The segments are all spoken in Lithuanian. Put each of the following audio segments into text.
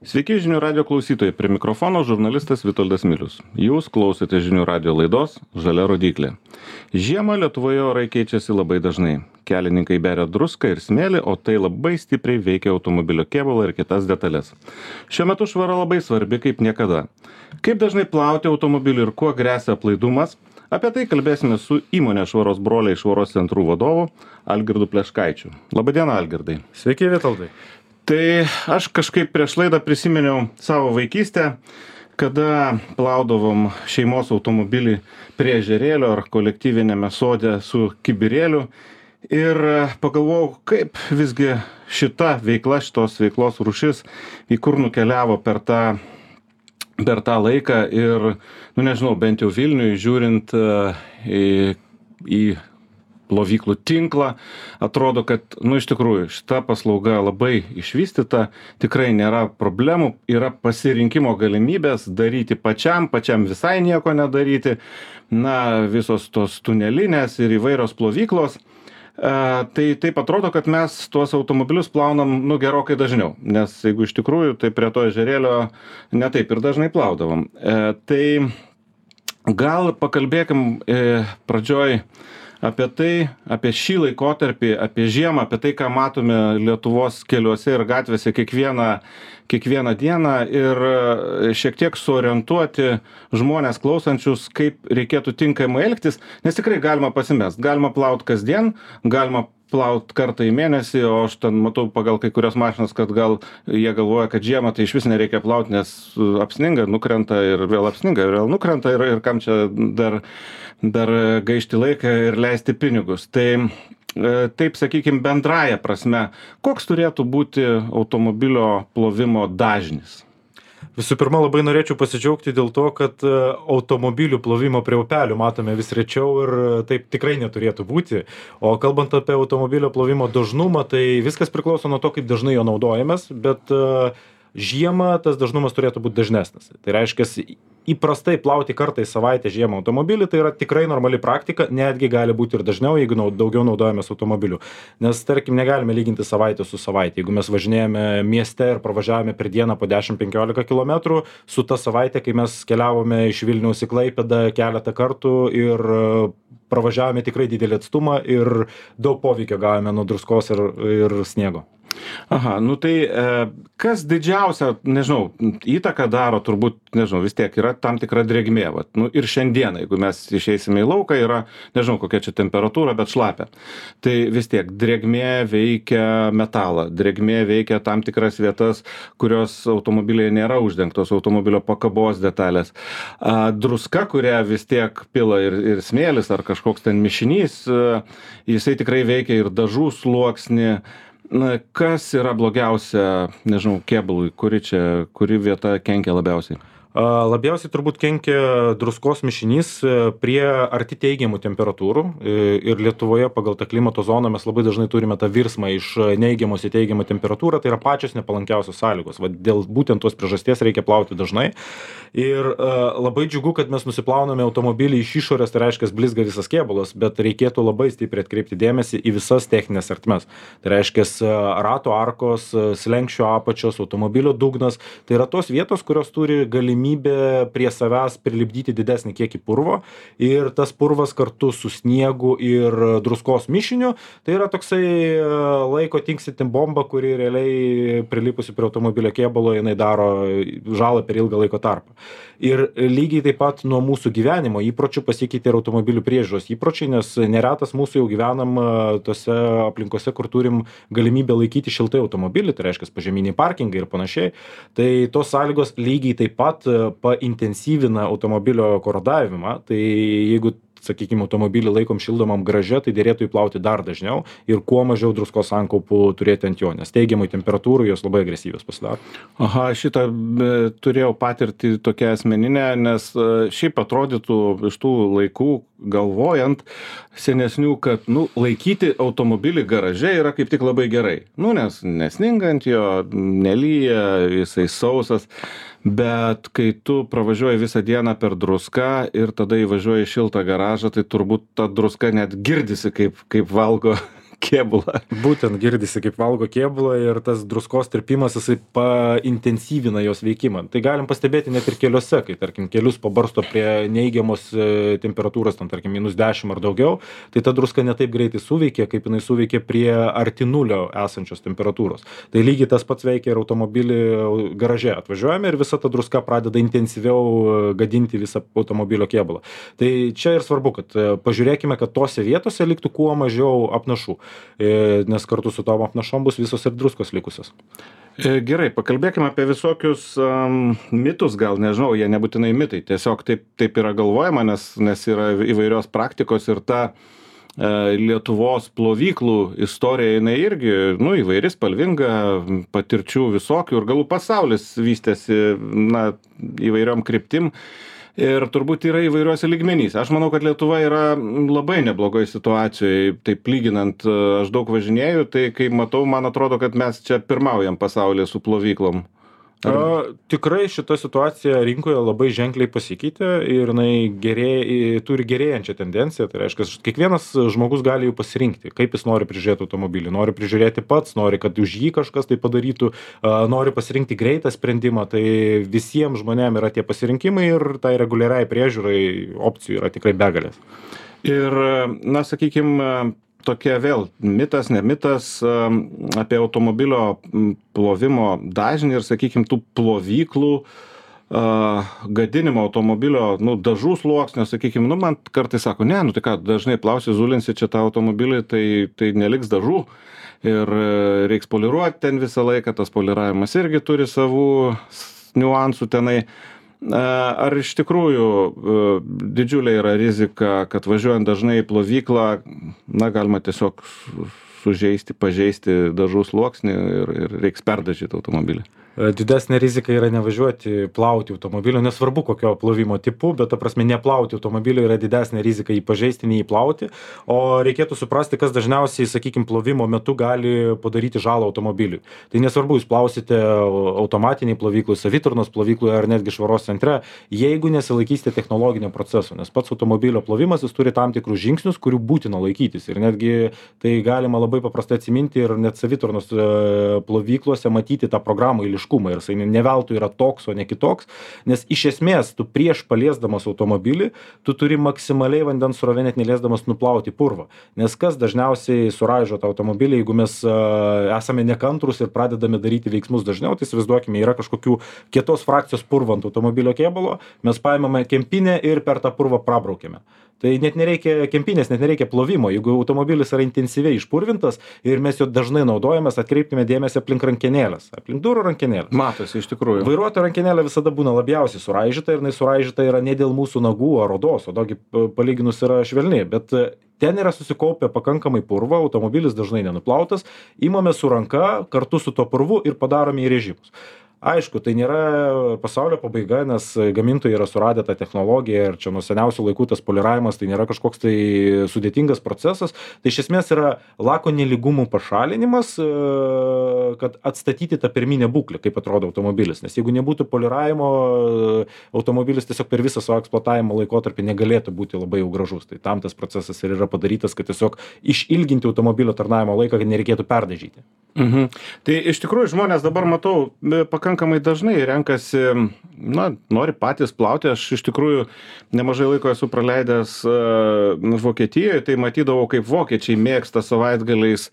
Sveiki žinių radio klausytojai, prie mikrofono žurnalistas Vitoldas Milius. Jūs klausote žinių radio laidos Žalia rodyklė. Žiemą Lietuvoje orai keičiasi labai dažnai. Kelininkai beria druską ir smėlį, o tai labai stipriai veikia automobilio kėbulą ir kitas detalės. Šiuo metu švara labai svarbi kaip niekada. Kaip dažnai plauti automobilį ir kuo gresia aplaidumas? Apie tai kalbėsime su įmonės Švaros broliai švaros centrų vadovu Algirdu Pleškaičiu. Labadiena, Algirdai. Sveiki, Vitoldai. Tai aš kažkaip prieš laidą prisiminiau savo vaikystę, kada plaudavom šeimos automobilį prie ežerėlio ar kolektyvinėme sode su kibirėliu ir pagalvojau, kaip visgi šita veikla, šitos veiklos rūšis į kur nukeliavo per tą laiką ir, nežinau, bent jau Vilniui žiūrint į plovyklų tinklą, atrodo, kad, iš tikrųjų, šita paslauga labai išvystyta, tikrai nėra problemų, yra pasirinkimo galimybės daryti pačiam visai nieko nedaryti, visos tos tunelinės ir įvairios plovyklos. Tai taip atrodo, kad mes tuos automobilius plaunam, gerokai dažniau, nes jeigu iš tikrųjų, tai prie to ežerėlio netaip ir dažnai plaudavom. Tai gal pakalbėkim pradžioj apie šį laikotarpį, apie žiemą, apie tai, ką matome Lietuvos keliuose ir gatvėse kiekvieną dieną ir šiek tiek suorientuoti žmonės klausančius, kaip reikėtų tinkamai elgtis, nes tikrai galima pasimest, galima plaut kasdien, galima plaut kartą į mėnesį, o aš ten matau pagal kai kurios mašinas, kad gal jie galvoja, kad žiemą tai iš vis nereikia plaut, nes apsninga, nukrenta ir vėl apsninga, ir vėl nukrenta ir kam čia dar gaišti laiką ir leisti pinigus. Tai taip, sakykime, bendraja prasme, koks turėtų būti automobilio plovimo dažnis? Visų pirma, labai norėčiau pasidžiaugti dėl to, kad automobilių plovimo prie upelių matome vis rečiau ir taip tikrai neturėtų būti. O kalbant apie automobilio plovimo dažnumą, tai viskas priklauso nuo to, kaip dažnai jo naudojamės, bet žiemą tas dažnumas turėtų būti dažnesnis. Tai reiškia, įprastai plauti kartą į savaitę žiemą automobilį, tai yra tikrai normali praktika, netgi gali būti ir dažniau, jeigu daugiau naudojamės automobiliu. Nes, tarkim, negalime lyginti savaitę su savaitė. Jeigu mes važinėjame mieste ir pravažiavome per dieną po 10-15 km, su ta savaitė, kai mes keliavome iš Vilniaus į Klaipėdą keletą kartų ir pravažiavome tikrai didelį atstumą ir daug poveikio gavome nuo druskos ir sniego. Aha, tai kas didžiausia, įtaką daro, turbūt, vis tiek yra tam tikra drėgmė. Ir šiandien, jeigu mes išeisime į lauką, yra, kokia čia temperatūra, bet šlapia. Tai vis tiek drėgmė veikia metalą, drėgmė veikia tam tikras vietas, kurios automobiliai nėra uždengtos, automobilio pakabos detalės. Druska, kurią vis tiek pila ir smėlis ar kažkoks ten mišinys, jisai tikrai veikia ir dažų sluoksnį. Kas yra blogiausia, kėbului, kuri vieta kenkia labiausiai? Labiausiai turbūt kenkia druskos mišinys prie arti teigiamų temperatūrų ir Lietuvoje pagal tą klimato zoną mes labai dažnai turime tą virsmą iš neigiamos į teigiamą temperatūrą, tai yra pačios nepalankiausios sąlygos. Dėl būtent tos priežasties reikia plauti dažnai ir labai džiugu, kad mes nusiplauname automobilį iš išorės, tai reiškia blizga visas kėbulas, bet reikėtų labai stipriai atkreipti dėmesį į visas techninės ertmes. Tai reiškia rato arkos, slenksčio apačios, automobilio dugnas, tai yra tos vietos, kurios turi galimybę prie savęs prilipdyti didesnį kiekį purvo ir tas purvas kartu su sniegu ir druskos mišiniu, tai yra toksai laiko tinksinti bomba, kuri realiai prilipusi prie automobilio kėbulo, jinai daro žalą per ilgą laiko tarpą. Ir lygiai taip pat nuo mūsų gyvenimo įpročių pasikeitė ir automobilių priežiūros įpročiai, nes neretas mūsų jau gyvenam tose aplinkose, kur turim galimybę laikyti šiltai automobilį, tai reiškia požeminiai parkingai ir panašiai. Tai tos sąlygos lygiai taip pat paintensyvina automobilio korodavimą, tai jeigu, sakykime, automobilį laikom šildomam garaže, tai dėrėtų įplauti dar dažniau ir kuo mažiau druskos sankaupų turėti ant jo, nes teigiamai temperatūrų jos labai agresyvios pasidaro. Aha, šitą turėjau patirtį tokią asmeninę, nes šiaip atrodytų iš tų laikų galvojant senesnių, kad laikyti automobilį garaže yra kaip tik labai gerai. Nes nesninga ant jo, nelyja, jisai sausas. Bet kai tu pravažiuoji visą dieną per druską ir tada įvažiuoji į šiltą garažą, tai turbūt ta druska net girdisi, kaip valgo kėbulą. Būtent girdisi, kaip valgo kėbulą ir tas druskos tirpimas, jisai paintensyvina jos veikimą. Tai galim pastebėti net ir keliuose, kai, tarkim, kelius pabarsto prie neigiamos temperatūros, ten, tarkim, -10 ar daugiau, tai ta druska ne taip greitai suveikia, kaip jinai suveikia prie arti nulio esančios temperatūros. Tai lygiai tas pats veikia ir automobilį garaže. Atvažiuojame ir visa ta druska pradeda intensyviau gadinti visą automobilio kėbulą. Tai čia ir svarbu, kad pažiūrėkime, kad tose vietose liktų kuo mažiau apnašų, nes kartu su tom apnašom bus visos ir druskos likusios. Gerai, pakalbėkime apie visokius mitus, gal nežinau, jie nebūtinai mitai, tiesiog taip yra galvojama, nes yra įvairios praktikos ir ta Lietuvos plovyklų istorija, jinai irgi, įvairi, spalvinga, patirčių visokių ir galų pasaulis vystėsi, įvairiom kryptim. Ir turbūt yra įvairiuose lygmenyse. Aš manau, kad Lietuva yra labai neblogoj situacijoje, taip lyginant, aš daug važinėju, tai kai matau, man atrodo, kad mes čia pirmaujam pasaulyje su plovyklom. Tikrai šita situacija rinkoje labai ženkliai pasikeitė ir jinai turi gerėjančią tendenciją. Tai reiškia, kiekvienas žmogus gali jų pasirinkti, kaip jis nori prižiūrėti automobilį. Nori prižiūrėti pats, nori, kad už jį kažkas tai padarytų, nori pasirinkti greitą sprendimą. Tai visiems žmonėms yra tie pasirinkimai ir tai reguliariai priežiūrai opcijų yra tikrai begalės. Ir, sakykime, tokia vėl mitas, ne mitas apie automobilio plovimo dažnį ir, sakykime, tų plovyklų gadinimo automobilio, dažų sluoksnio, sakykime, man kartais sako, tai ką, dažnai plausi, zulinsi čia tą automobilį, tai neliks dažų ir reiks poliruoti ten visą laiką, tas poliravimas irgi turi savų niuansų tenai. Ar iš tikrųjų didžiulė yra rizika, kad važiuojant dažnai į plovyklą, galima tiesiog sužeisti, pažeisti dažų sluoksnį ir reiks perdažyti automobilį? Didesnė rizika yra nevažiuoti plauti automobilio, nesvarbu kokio plovimo tipu, bet ta prasme neplauti automobilio yra didesnė rizika jį pažeisti, nei jį plauti, o reikėtų suprasti, kas dažniausiai, sakykime, plovimo metu gali padaryti žalą automobiliui. Tai nesvarbu, jūs plausite automatiniai plovyklui, savitarnos plovyklui ar netgi švaros centre, jeigu nesilaikysite technologinio proceso, nes pats automobilio plovimas jis turi tam tikrus žingsnius, kurių būtina laikytis ir netgi tai galima labai paprastai atsiminti ir net savitarnos plovyklose matyti tą programą eiliškumą ir jisai ne veltui yra toks, o ne kitoks, nes iš esmės tu prieš paliesdamas automobilį, tu turi maksimaliai vandens srovę net neliesdamas nuplauti purvą, nes kas dažniausiai suraižo tą automobilį, jeigu mes esame nekantrus ir pradedame daryti veiksmus dažniau, tai įsivaizduokime, yra kažkokių kietos frakcijos purvo ant automobilio kėbulo, mes paimame kempinę ir per tą purvą prabraukėme. Tai net nereikia kempinės, net nereikia plovimo. Jeigu automobilis yra intensyviai išpurvintas ir mes jo dažnai naudojamės, atkreipkime dėmesį aplink rankenėlės, aplink durų rankenėlės. Matosi, iš tikrųjų. Vairuotojo rankenėlė visada būna labiausiai suraižyta ir jinai suraižyta yra ne dėl mūsų nagų ar odos, o daugi palyginus yra švelni, bet ten yra susikaupę pakankamai purvo, automobilis dažnai nenuplautas, imame su ranka kartu su tuo purvu ir padarome į režimus. Aišku, tai nėra pasaulio pabaiga, nes gamintojai yra suradę tą technologiją ir čia nuo seniausių laikų tas poliravimas tai nėra kažkoks tai sudėtingas procesas. Tai iš esmės yra lako nelygumų pašalinimas, kad atstatyti tą pirminę būklę, kaip atrodo automobilis. Nes jeigu nebūtų poliravimo, automobilis tiesiog per visą savo eksploatavimo laikotarpį negalėtų būti labai jau gražus. Tai tam tas procesas ir yra padarytas, kad tiesiog išilginti automobilio tarnavimo laiką, kad nereikėtų perdažyti. Tai iš tikrųjų žmonės dabar matau pakankamai dažnai renkasi, nori patys plauti. Aš iš tikrųjų nemažai laiko esu praleidęs Vokietijoje, tai matydavau, kaip vokiečiai mėgsta savaitgaliais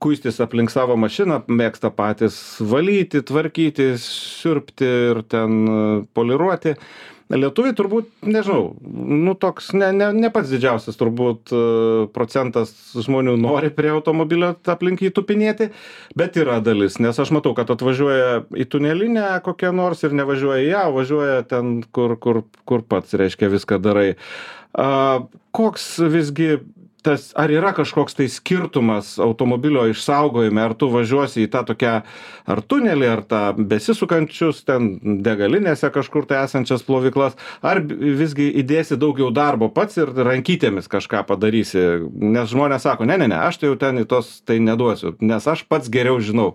kuistis aplink savo mašiną, mėgsta patys valyti, tvarkyti, siurbti ir ten poliruoti. Lietuviai turbūt, nežinau, toks ne pats didžiausias turbūt procentas žmonių nori prie automobilio aplink jį tupinėti, bet yra dalis, nes aš matau, kad atvažiuoja į tunelinę kokią nors ir nevažiuoja į ją, važiuoja ten, kur pats, reiškia, viską darai. Koks visgi ar yra kažkoks tai skirtumas automobilio išsaugojime, ar tu važiuosi į tą tokią ar tunelį, ar tą besisukančius ten degalinėse kažkur tai esančias plovyklas, ar visgi įdėsi daugiau darbo pats ir rankytėmis kažką padarysi, nes žmonės sako, ne, aš tai jau ten į tos tai neduosiu, nes aš pats geriau žinau,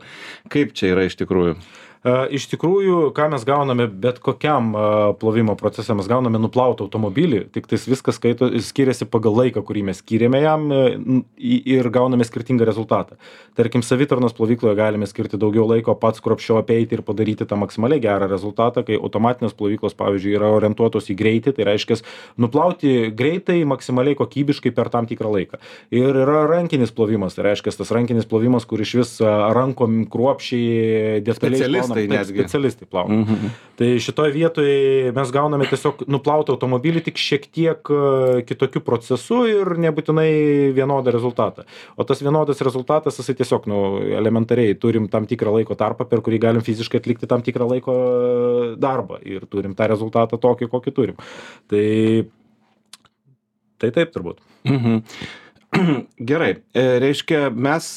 kaip čia yra iš tikrųjų. Iš tikrųjų, ką mes gauname bet kokiam plovimo procese, mes gauname nuplautą automobilį, tik tais viskas skiriasi pagal laiką, kurį mes skiriame jam ir gauname skirtingą rezultatą. Tarkim, savitarnos plovykloje galime skirti daugiau laiko pats kruopščiau apeiti ir padaryti tą maksimaliai gerą rezultatą, kai automatinės plovyklos, pavyzdžiui, yra orientuotos į greitį, tai reiškia nuplauti greitai, maksimaliai kokybiškai per tam tikrą laiką. Ir yra rankinis plovimas, tai reiškia tas rankinis plovimas, kur iš vis rankom kruopščiai detaliai specialistai plauna. Tai šitoje vietoje mes gauname tiesiog nuplautą automobilį tik šiek tiek kitokiu procesu ir nebūtinai vienodą rezultatą. O tas vienodas rezultatas, jisai tiesiog elementariai turim tam tikrą laiko tarpą, per kurį galim fiziškai atlikti tam tikrą laiko darbą ir turim tą rezultatą tokį, kokį turim. Tai taip turbūt. Gerai, reiškia, mes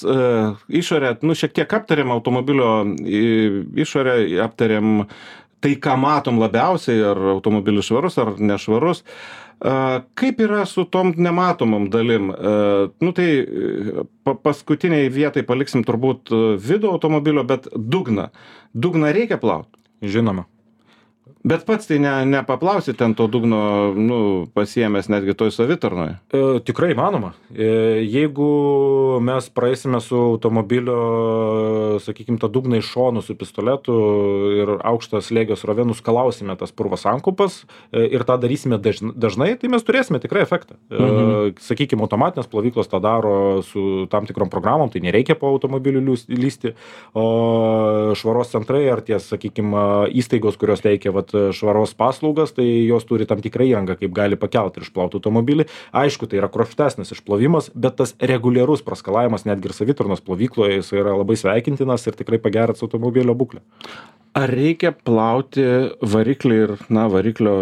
išorę, šiek tiek aptarėm automobilio išorę, aptarėm tai, ką matom labiausiai, ar automobilis švarus, ar nešvarus. Kaip yra su tom nematomom dalim? Tai paskutiniai vietai paliksim turbūt vidų automobilio, bet dugną. Dugną reikia plauti? Žinoma. Bet pats tai nepaplausi ten to dugno, pasiėmęs netgi toj savitarnoje? Tikrai įmanoma. Jeigu mes praeisime su automobilio, sakykime, tą dugną iš šonų su pistoletu ir aukštą slėgio srovę nuskalausime tas purvo sankaupas ir tą darysime dažnai, tai mes turėsime tikrai efektą. Sakykime, automatinės plovyklos tą daro su tam tikrom programom, tai nereikia po automobiliu lysti, o švaros centrai ar tie, sakykime, įstaigos, kurios teikia švaros paslaugas, tai jos turi tam tikrą įrangą, kaip gali pakelti ir išplauti automobilį. Aišku, tai yra kruopštesnis išplovimas, bet tas reguliarus praskalavimas netgi ir savitarnos plovykloje jis yra labai sveikintinas ir tikrai pagerins automobilio būklę. Ar reikia plauti variklį ir, variklio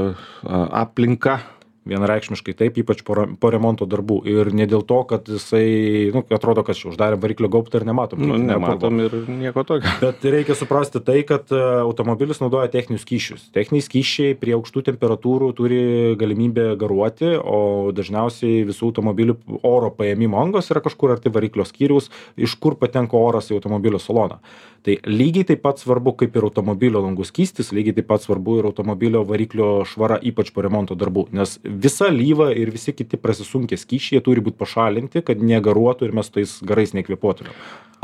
aplinką? Vienareikšmiškai taip, ypač po remonto darbų. Ir ne dėl to, kad jisai, atrodo, kad uždarėm variklio gaubtą ir nematom. Nematom ir nieko tokio. Bet reikia suprasti tai, kad automobilis naudoja techninius skysčius. Techniniai skysčiai prie aukštų temperatūrų turi galimybę garuoti, o dažniausiai visų automobilių oro paėmimo angos yra kažkur arti variklio skyriaus, iš kur patenka oras į automobilio saloną. Tai lygiai taip pat svarbu, kaip ir automobilio langų skystis, lygiai taip pat svarbu ir automobilio variklio švara, ypač po remonto darbų, nes visa lyva ir visi kiti prasisunkę skysčiai turi būti pašalinti, kad negaruotų ir mes tais garais nekvėpuotume.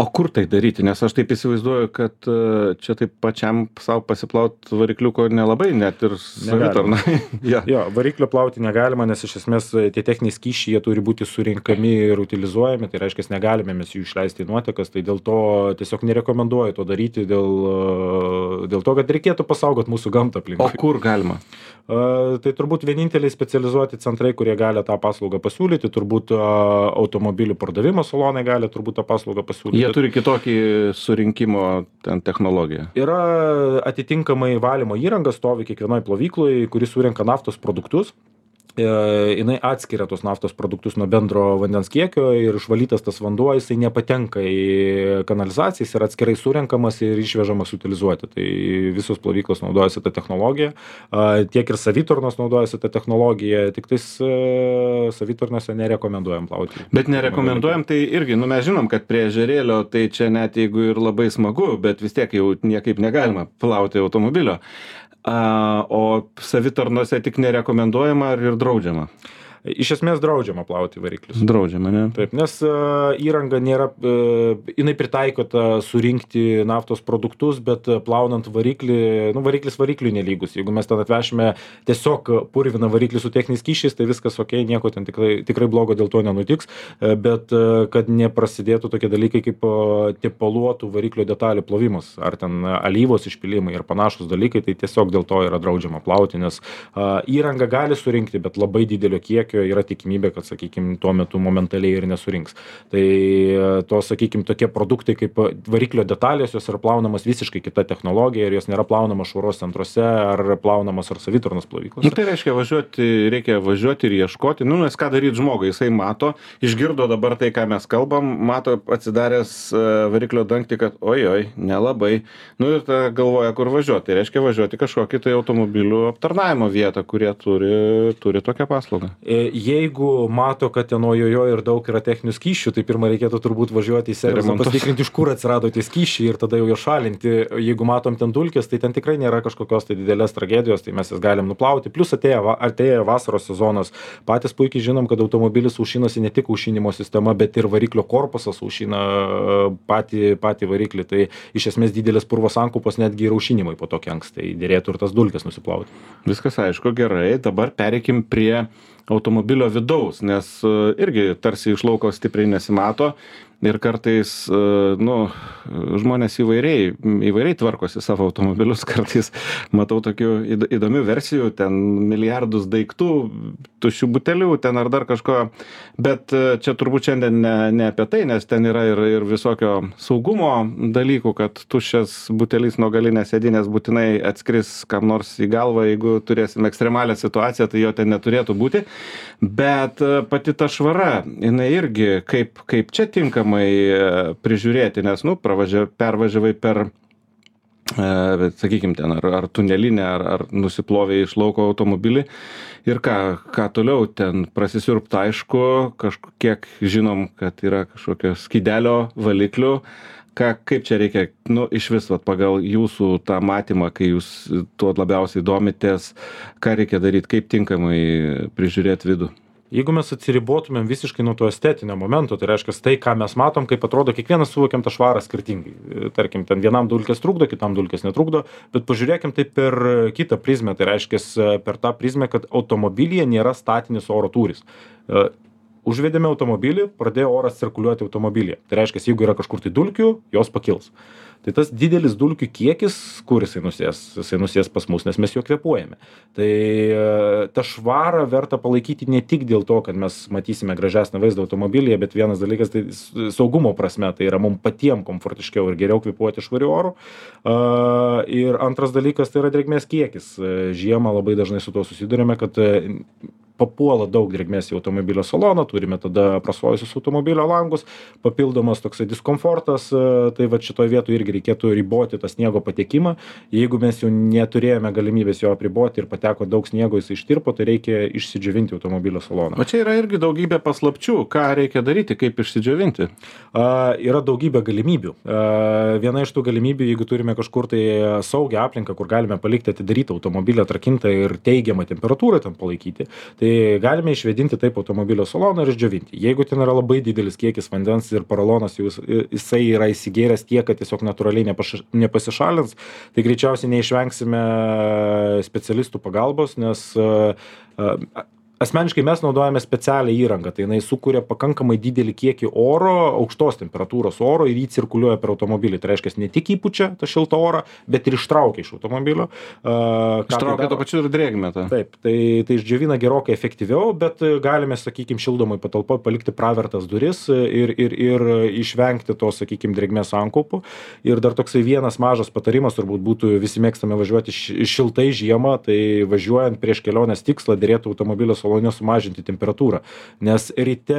O kur tai daryti? Nes aš taip įsivaizduoju, kad čia taip pačiam savo pasiplaut varikliuko nelabai, net ir savitarnai. Jo, variklio plauti negalima, nes iš esmės tie techniniai skysčiai turi būti surinkami ir utilizuojami, tai reiškia, negalime mes jų išleisti į nuotekas, tai dėl to tiesiog nerekomenduoju to daryti, dėl to, kad reikėtų pasaugoti mūsų gamtą aplinkui. O kur galima? Tai turbūt vieninteliai specializuoti centrai, kurie gali tą paslaugą pasiūlyti, turbūt automobilių pardavimo salonai gali turbūt tą paslaugą pasiūlyti. Jie turi kitokį surinkimo technologiją. Yra atitinkamai valymo įranga, stovi kiekvienoje plovykloje, kuri surenka naftos produktus. Jinai atskiria tos naftos produktus nuo bendro vandens kiekio ir išvalytas tas vanduo, jisai nepatenka į kanalizacijas ir atskirai surenkamas ir išvežamas utilizuoti. Tai visos plovyklos naudojasi tą technologiją, tiek ir savitarnos naudojasi tą technologiją, tik tais savitarnose nerekomenduojam plauti. Bet nerekomenduojam, tai irgi, mes žinom, kad prie ežerėlio, tai čia net jeigu ir labai smagu, bet vis tiek jau niekaip negalima plauti automobilio. O savitarnose tik nerekomenduojama ar ir draudžiama? Iš esmės draudžiama plauti variklius. Draudžiama, ne? Taip, nes įranga nėra, jinai pritaikota surinkti naftos produktus, bet plaunant variklį, variklis varikliui nelygus. Jeigu mes ten atvešime tiesiog purviną variklį su techniniais skysčiais, tai viskas ok, nieko ten tikrai blogo dėl to nenutiks, bet kad neprasidėtų tokie dalykai kaip tepaluotų variklio detalių plovimas, ar ten alyvos išpilimai ir panašus dalykai, tai tiesiog dėl to yra draudžiama plauti, nes įranga gali surinkti, bet labai didelio kiekio yra tikimybė, kad, sakykime, tuo metu momentaliai ir nesurinks. Tai to, sakykime, tokie produktai kaip variklio detalės, jos yra plaunamas visiškai kita technologija ir jos nėra plaunamas švaros centruose ar plaunamas ar savitarnos plovyklose. Tai reiškia reikia važiuoti ir ieškoti, nes ką daryti žmogui, jisai mato, išgirdo dabar tai, ką mes kalbam, mato atsidaręs variklio dangtį, kad oi, nelabai, ir ta galvoja, kur važiuoti. Tai reiškia važiuoti kažkokį tai automobilių aptarnavimo vietą, kurie turi tokią paslaugą. jeigu mato, kad ten ojojo ir daug yra techninių skysčių, tai pirmą reikėtų turbūt važiuoti į servisą, pasitikrinti, iš kur atsirado tie skysčiai ir tada jau jo šalinti. Jeigu matom ten dulkės, tai ten tikrai nėra kažkokios tai didelės tragedijos, tai mes jas galim nuplauti. Plus atėjo vasaros sezonas. Patys puikiai žinom, kad automobilis aušinasi ne tik aušinimo sistema, bet ir variklio korpusas aušina patį variklį. Tai iš esmės didelės purvo sankaupos netgi ir aušinimui po to kenks. Tai dėrėtų ir tas dulkes nusiplauti. Viskas aišku, gerai. Dabar pereikim prie automobilio vidaus, nes irgi tarsi iš lauko stipriai nesimato ir kartais, žmonės įvairiai tvarkosi savo automobilius, kartais matau tokių įdomių versijų, ten milijardus daiktų, tuščių butelių, ten ar dar kažko, bet čia turbūt šiandien ne apie tai, nes ten yra ir visokio saugumo dalykų, kad tuščias butelis nuo galinės sėdynės būtinai atskris kam nors į galvą, jeigu turėsim ekstremalią situaciją, tai jo ten neturėtų būti, bet pati ta švara, jinai irgi kaip čia tinkamai prižiūrėti, nes, pervažiavai per, sakykime, ten ar tunelinę, ar nusiplovė iš lauko automobilį ir ką toliau ten prasisiurbta, aišku, kažkiek žinom, kad yra kažkokio skydelio valiklių, kaip čia reikia, iš vis, pagal jūsų tą matymą, kai jūs tuo labiausiai domitės, ką reikia daryti, kaip tinkamai prižiūrėti vidų. Jeigu mes atsiribotumėm visiškai nuo to estetinio momento, tai reiškia tai, ką mes matom, kaip atrodo, kiekvienas suvokiam tą švarą skirtingai. Tarkim, ten vienam dulkės trukdo, kitam dulkės netrukdo, bet pažiūrėkim tai per kitą prizmę, tai reiškia per tą prizmę, kad automobilyje nėra statinis oro tūris. Užvedėme automobilį, pradėjo oras cirkuliuoti automobilyje. Tai reiškia, jeigu yra kažkur tai dulkių, jos pakils. Tai tas didelis dulkių kiekis, kur jisai nusės pas mus, nes mes jo kvėpuojame. Tai tą švarą verta palaikyti ne tik dėl to, kad mes matysime gražesnį vaizdą automobilyje, bet vienas dalykas, tai saugumo prasme, tai yra mums patiems komfortiškiau ir geriau kvėpuoti švariu oru. Ir antras dalykas, tai yra drėgmės kiekis. Žiemą labai dažnai su tuo susidurime, kad papuola daug drėgmės į automobilio saloną, turime tada prasojusius automobilio langus, papildomas toksai diskomfortas, tai va šitoje vietoje irgi reikėtų riboti tą sniego patekimą. Jeigu mes jau neturėjome galimybės jo apriboti ir pateko daug sniego, jis ištirpo, tai reikia išsidžiovinti automobilio saloną. O čia yra irgi daugybė paslapčių, ką reikia daryti, kaip išsidžiovinti? Yra daugybė galimybių. Viena iš tų galimybių, jeigu turime kažkur tai saugią aplinką, kur galime palikti atidarytą automobilį atrakintą ir teigiamą temperatūrą ten palaikyti, tai galime išvėdinti taip automobilio saloną ir išdžiovinti. Jeigu ten yra labai didelis kiekis vandens ir porolonas jisai yra įsigėręs tiek, kad tiesiog natūraliai nepasišalins, tai greičiausiai neišvengsime specialistų pagalbos, nes asmeniškai mes naudojame specialią įrangą, tai jinai sukuria pakankamai didelį kiekį oro, aukštos temperatūros oro ir jį cirkuliuoja per automobilį. Tai reiškia, ne tik įpučia tą šiltą orą, bet ir ištraukia iš automobilio. Ištraukia to pačiu ir drėgmę. Taip, tai išdžiovina gerokai efektyviau, bet galime, sakykime, šildomai patalpoje palikti pravertas duris ir išvengti to, sakykime, drėgmės sankaupų. Ir dar toksai vienas mažas patarimas, turbūt būtų, visi mėgstame važiuoti šiltai žiemą, tai važiuojant prieš kelionės tikslą dėrėtų automobilio salone sumažinti temperatūrą, nes ryte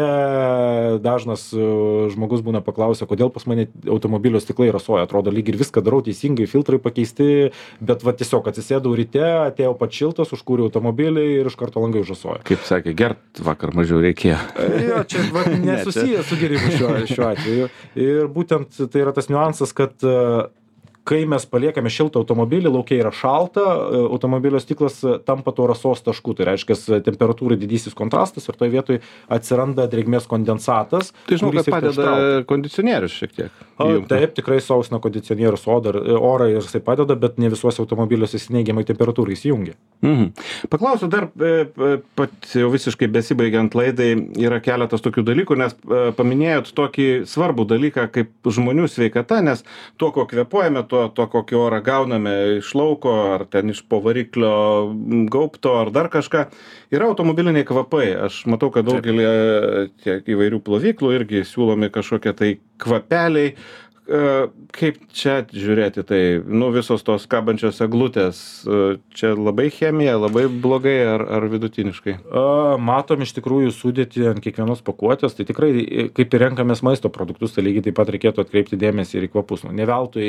dažnas žmogus būna paklausę, kodėl pas mane automobilio stiklai rasoja, atrodo lyg ir viską darau teisingai, filtrai pakeisti, bet va tiesiog atsisėdau ryte, atėjau pats šiltas, užkūriau automobilį ir iš karto langai užrasoja. Kaip sakė, gert vakar mažiau reikėjo. Jo, čia nesusiję su gerimu šiuo atveju. Ir būtent tai yra tas niuansas, kad kai mes paliekame šiltą automobilį, lauke yra šalta, automobilio stiklas tampa to rasos tašku, tai reiškia temperatūrai didysis kontrastas ir toje vietoje atsiranda drėgmės kondensatas. Tai žinau, kad padeda kondicionierius šiek tiek. Taip, tikrai sausina kondicionierius orą ir jisai padeda, bet ne visuose automobiliuose jis neigiamai temperatūrai įsijungia. Paklausiu dar, jau visiškai besibaigiant laidai, yra keletas tokių dalykų, nes paminėjot tokį svarbų dalyką kaip žmonių sveikata, nes to, ko kvėpuojame, to kokį orą gauname iš lauko, ar ten iš po variklio gaubto, ar dar kažką, yra automobiliniai kvapai. Aš matau, kad daugelį tiek įvairių plovyklų irgi siūlomi kažkokie tai kvapeliai, kaip čia žiūrėti tai, nu, visos tos kabančios eglutės, čia labai chemija, labai blogai ar vidutiniškai? Matom iš tikrųjų sudėti ant kiekvienos pakuotės, tai tikrai, kaip ir renkamės maisto produktus, tai lygiai taip pat reikėtų atkreipti dėmesį ir į kvapus. Ne veltui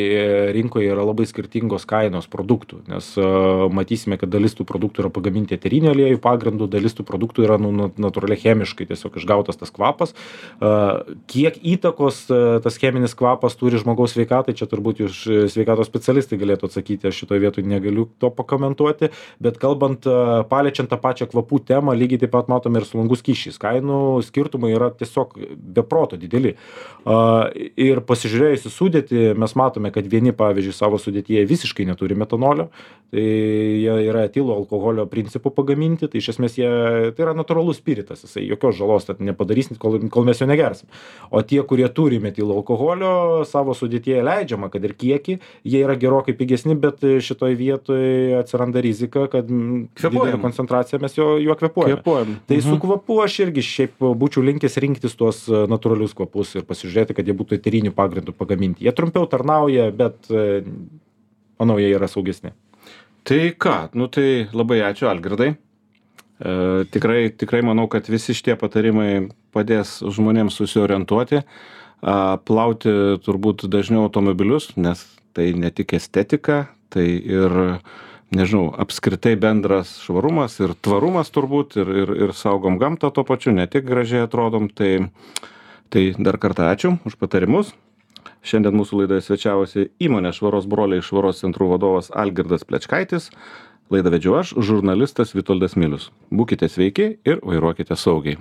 rinkoje yra labai skirtingos kainos produktų, nes matysime, kad dalis tų produktų yra pagaminti eterinio aliejų pagrindu, dalis tų produktų yra natūraliai chemiškai tiesiog išgautas tas kvapas. Kiek įtakos tas cheminis kvapas turi žmogaus sveikatai, čia turbūt jūs sveikatos specialistai galėtų atsakyti, aš šitoje vietoje negaliu to pakomentuoti, bet kalbant, paliečiant tą pačią kvapų temą, lygiai taip pat matome ir su langų skysčiais. Kainų skirtumai yra tiesiog beproto dideli. Ir pasižiūrėjus į sudėtį, mes matome, kad vieni, pavyzdžiui, savo sudėtyje visiškai neturi metanolio, tai jie yra etilo alkoholio principų pagaminti, tai iš esmės tai yra natūralus spiritas, jisai jokios žalos nepadarys, kol mes jo negersim. O tie, kurie turi metilo alkoholio, savo sudėtyje leidžiama, kad ir kiekį, jie yra gerokai pigesni, bet šitoj vietoje atsiranda rizika, kad didelė koncentracija mes juo kvėpuojame. Tai su kvapu aš irgi šiaip būčiau linkęs rinktis tuos natūralius kvapus ir pasižiūrėti, kad jie būtų eterinių pagrindų pagaminti. Jie trumpiau tarnauja, bet manau, jie yra saugesni. Tai ką, nu tai labai ačiū, Algirdai. Tikrai manau, kad visi šitie patarimai padės žmonėms susiorientuoti, plauti turbūt dažniau automobilius, nes tai ne tik estetika, tai ir, nežinau, apskritai bendras švarumas ir tvarumas turbūt ir saugom gamtą tuo pačiu, ne tik gražiai atrodom, tai dar kartą ačiū už patarimus. Šiandien mūsų laidoje svečiavosi įmonės Švaros broliai švaros centrų vadovas Algirdas Plečkaitis. Laidą vedžiau aš, žurnalistas Vitoldas Milius. Būkite sveiki ir vairuokite saugiai.